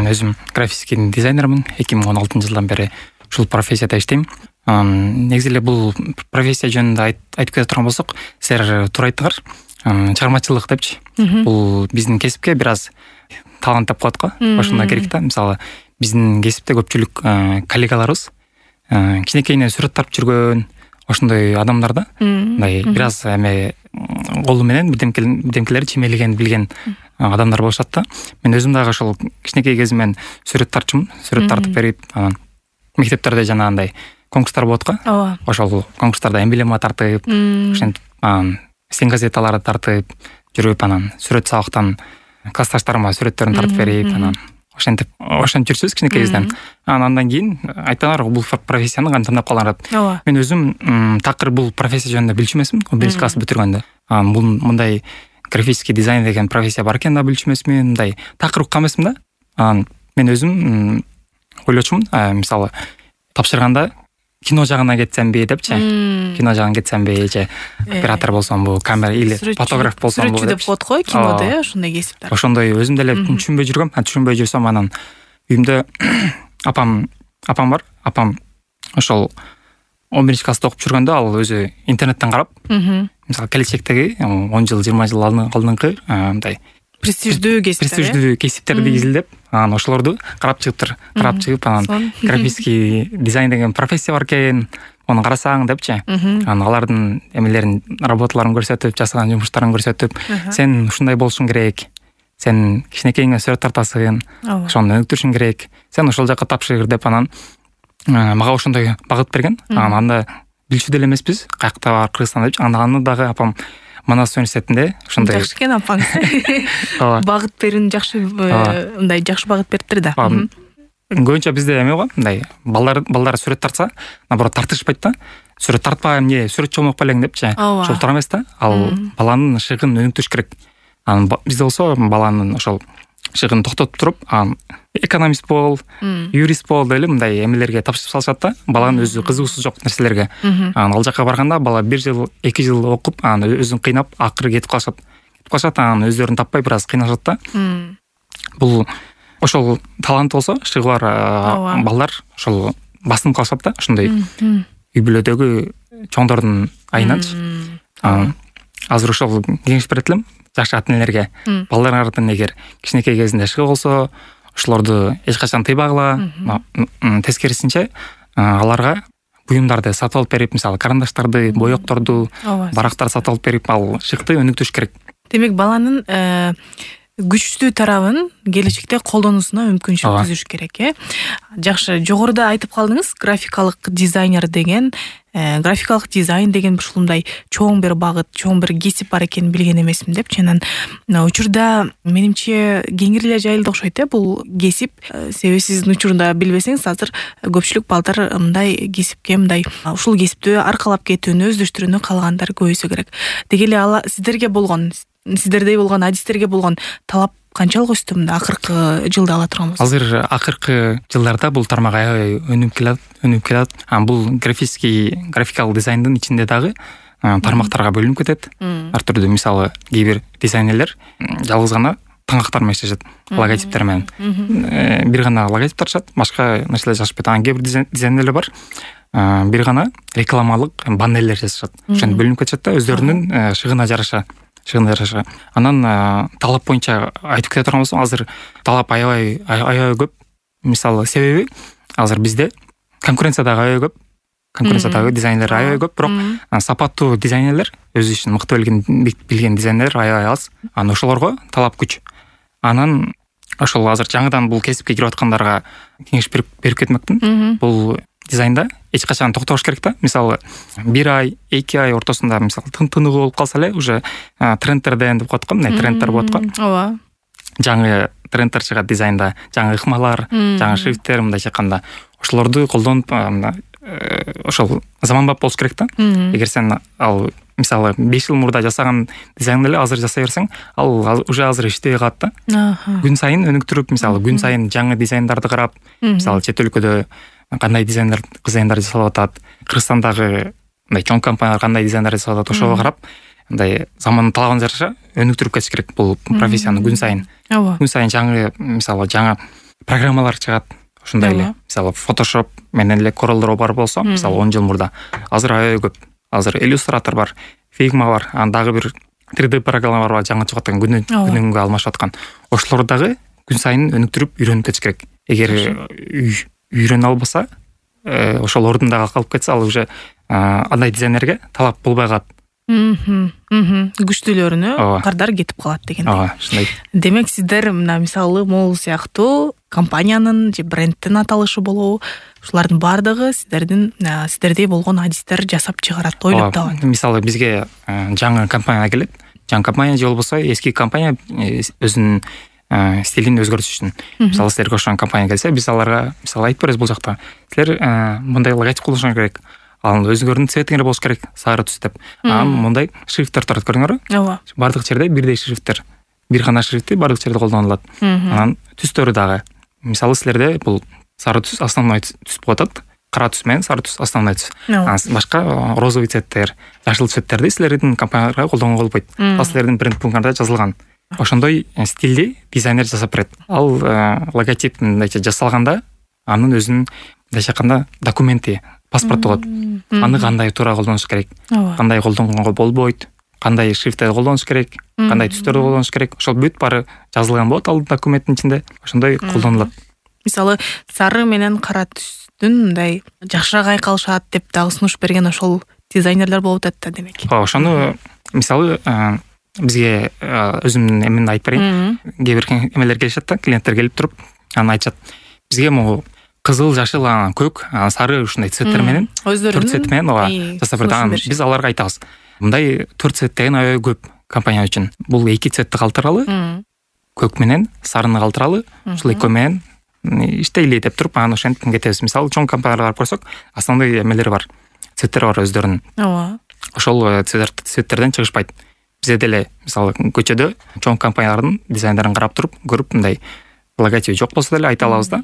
Мен өзүм графический дизайнермин. 2016-жылдан бери ушул профессияда иштейм. Негизи эле бул профессия жөнүндө айтып кете турган болсок, силер туура айттыңар. Чыгармачылык депчи. Бул биздин кесипке бир аз талант деп коет го. Ошондой керек да. Мисалы, биздин кесипте көпчүлүк коллегаларыбыз кичинекейинен сүрөт тартып жүргөн ошондой адамдар да. Мындай бир аз колу менен бирдемкелерди чимейлегенди билген адамдар болушат да. Мен өзүм дагы ошол кичинекей кезимден сүрөт тартчумун. Сүрөт тартып берип, анан мектептерде жанагындай конкурстар болот го. Ошол конкурстарда эмблема тартып, ошентип стен газеталарды тартып жүрүп, анан сүрөт сабактан классташтарыма сүрөттөрүн тартып берип, анан ошентип жүрсүбүз кичинекей кезден. Андан кийин айтпаңар, бул профессияны кантип тандап калганын. Мен өзүм такыр бул профессия жөнүндө билчү эмесмин. 1 класс бүтүргөндө. Бул мындай графический дизайн деген профессия бар экенин да билчү эмесмин. Мындай такыр уккан эмесмин да. Мен өзүм ойлочумун, мисалы, тапшырганда кино жагына кетсемби депчи. Кино жагына кетсемби, же оператор болсомбу, камера или фотограф болсомбу деп коет го кинодо, ошондой кесиптер. Ошондой өзүм деле түшүнбөй жүргөм. Түшүнбөй жүрсөм, анан үйүмдө апам бар. Апам ошол 11 класста окуп жүргөндө ал өзү интернеттен карап, мисалы, келечектеги 10 жыл, 20 жыл алдыңкы мындай престиждүү кесиптерди изилдеп, анан ошолорду карап чыгып, анан графический дизайн деген профессия бар экен, аны карасаң депчи. Анан алардын эмелерин, работаларын көрсөтүп, жасаган жумуштарын көрсөтүп, сен ушундай болушуң керек, сен кичинекейиңе сүрөт тартасың, ошону өнүктүрүшүң керек, сен ошол жака тапшыр деп, анан мага ошондой багыт берген. Анда билчү деле эмеспиз, каякта бар, Кыргызстанда депчи. Аны дагы апам Манас университетинде ошондой. Жакшы экен апаңыз. Багыт берүүнү жакшы, мындай жакшы багыт бериптир да. Көбүнчө бизде эме го, мындай балдар сүрөт тартса, наоборот тартышпайт да. Сүрөт тартпайм, сүрөтчү болмок белең депчи. Ошол туура эмес да. Ал баланын шыгын өнүктүрүш керек. Анан бизде болсо баланын ошол шыгын токтотуп туруп, экономист бол, юрист бол деп мындай эмелерге тапшырып салышат да. Баланын өзү кызыгуусу жок нерселерге. Анан ал жака барганда бала 1 жыл, 2 жыл окуп, анан өзүн кыйнап, акыры кетип калышат. Анан өздөрүн таппай бир аз кыйналышат да. Бул ошол талант болсо, шыгы бар балдар ошол басынып калышат да. Ошондой үй бүлөдөгү чоңдордун айынан. Азыр ошол кеңеш берет элем жакшы ата энелерге. Балдарыңардын эгер кичинекей кезинде шыгы болсо, ошолорду эч качан тыйбагыла. Тескерисинче аларга буюмдарды сатып алып берип, мисалы, карандаштарды, боекторду, барактарды сатып алып берип, ал шыкты өнүктүрүш керек. Демек, баланын күчтүү тарабын келечекте колдонуусуна мүмкүнчүлүк түзүш керек, Жакшы, жогоруда айтып калдыңыз, графикалык дизайнер деген, графикалык дизайн деген ушундай чоң бир багыт, чоң бир кесип бар экенин билген эмесмин депчи. Анан учурда менимче кеңири эле жайылды окшойт, бул кесип. Себеби сиздин учурда билбесеңиз, азыр көпчүлүк балдар мындай кесипке, мындай ушул кесипти аркалап кетүүнү, өздөштүрүүнү каалагандар көбөйсө керек. Деги эле сиздердей болгон адистерге болгон талап канчалык өстү мында акыркы жылда ала турган болсок? Азыр акыркы жылдарда бул тармак аябай өнүгүп келат. Бул графикалык дизайндын ичинде дагы тармактарга бөлүнүп кетет. Ар түрдүү, мисалы, кээ бир дизайнерлер жалгыз гана таңактар менен иштешет, логотиптер менен. Бир гана логотип тартышат, башка нерселер жазышпайт. Кээ бир дизайнерлер бар, бир гана рекламалык баннерлер жазышат. Ошентип бөлүнүп кетишет да, өздөрүнүн шыгына жараша. Анан талап боюнча айтып кете турган болсом, азыр талап аябай көп. Мисалы, себеби азыр бизде конкуренция дагы аябай көп. Конкуренциядагы дизайнерлер аябай көп, бирок сапаттуу дизайнерлер, өз ишин мыкты билген дизайнерлер аябай аз. Анан ошолорго талап күч. Анан ошол азыр жаңыдан бул кесипке кирип аткандарга кеңеш берип кетмекмин. Бул дизайнда эч качан токтош керек да. Мисалы, 1 ай, 2 ай ортосунда мисалы тыныгы болуп калса эле, уже трендтерден деп коет го, мына трендтер болот го. Ооба. Жаңы трендтер чыгат дизайнда, жаңы ыкмалар, жаңы шрифттер, мындайча айтканда, ошолорду колдонуп, ошол заманбап болуш керек да. Эгер сен ал мисалы 5 жыл мурда жасаган дизайнды эле азыр жасай берсең, ал уже азыр иштебей калат да. Күн сайын өнүктүрүп, мисалы, күн сайын жаңы дизайндарды карап, мисалы, чет өлкөдө кандай дизайндар жасалып атат, Кыргызстандагы мындай чоң компаниялар кандай дизайндар жасап атат, ошого карап, мындай замандын талабына жараша өнүктүрүп кетиш керек бул профессияны күн сайын. Күн сайын жаңы, мисалы, жаңы программалар чыгат. Ушундай эле мисалы Photoshop менен эле Corel Draw бар болсо, мисалы 10 жыл мурда, азыр аябай көп. Азыр Illustrator бар, Figma бар, дагы бир 3D программалар бар, жаңы чыгып аткан, күнүнгө алмашып аткан. Ошолор дагы күн сайын өнүктүрүп үйрөнүп кетиш керек. Эгер үйрөнө албаса, ошол ордундагы калып кетсе, ал уже андай дизайнерге талап болбой калат. Күчтүүлөрүнө кардар кетип калат деген. Ошондой. Демек сиздер мына мисалы могул сыяктуу компаниянын же брендтин аталышы болобу, ушулардын баардыгы сиздердей болгон адистер жасап чыгарат, ойлоп табат. Мисалы бизге жаңы компания келет. Жаңы компания же болбосо эски компания өзүнүн стилин өзгөртүш үчүн. Мисалы силерге ошон компания келсе, биз аларга мисалы айтып беребиз, бул жакта силер мындай логотип колдонуш керек. Ал өзүңөрдүн цветиңер болуш керек, сары түс деп. Мындай шрифттер турат, көрдүңөрбү? Ооба. Бардык жерде бирдей шрифттер. Бир гана шрифти бардык жерде колдонулат. Анан түстөрү дагы. Мисалы силерде бул сары түс основной түс болуп атат. Кара түс менен сары түс основной түс. Башка розовый цветтер, жашыл цветтерди силердин компанияларга колдонгонго болбойт. Ал силердин бренд пунктарда жазылган. Ошондой стилди дизайнер жасап берет. Ал логотип мындайча жасалганда анын өзүнүн мындайча айтканда документи, паспорт болот. Аны кандай туура колдонуш керек, кандай колдонгонго болбойт, кандай шрифттерди колдонуш керек, кандай түстөрдү колдонуш керек, ошол бүт баары жазылган болот ал документтин ичинде. Ошондой колдонулат. Мисалы сары менен кара түстүн мындай жакшыраак айкалышат деп дагы сунуш берген ошол дизайнерлер болуп атат да, демек. Ошону мисалы бизге өзүмдүн эмени айтып берейин. Кээ бир эмелер келишет да, клиенттер келип туруп, анан айтышат. Бизге могу кызыл, жашыл, көк, сары ушундай цветтер менен, төрт цвет менен жасап берет. Биз аларга айтабыз. Мындай төрт цвет деген аябай көп компания үчүн. Бул эки цветти калтыралы, көк менен сарыны калтыралы, ушул экөө менен иштейли деп туруп, анан ошентип кетебиз. Мисалы чоң компанияларга барып көрсөк, основной эмелери бар, цветтери бар өздөрүнүн. Ооба. Ошол цветтерден чыгышпайт. Бизде деле мисалы көчөдө чоң компаниялардын дизайндерин карап туруп, көрүп, мындай логотип жок болсо деле айта алабыз да.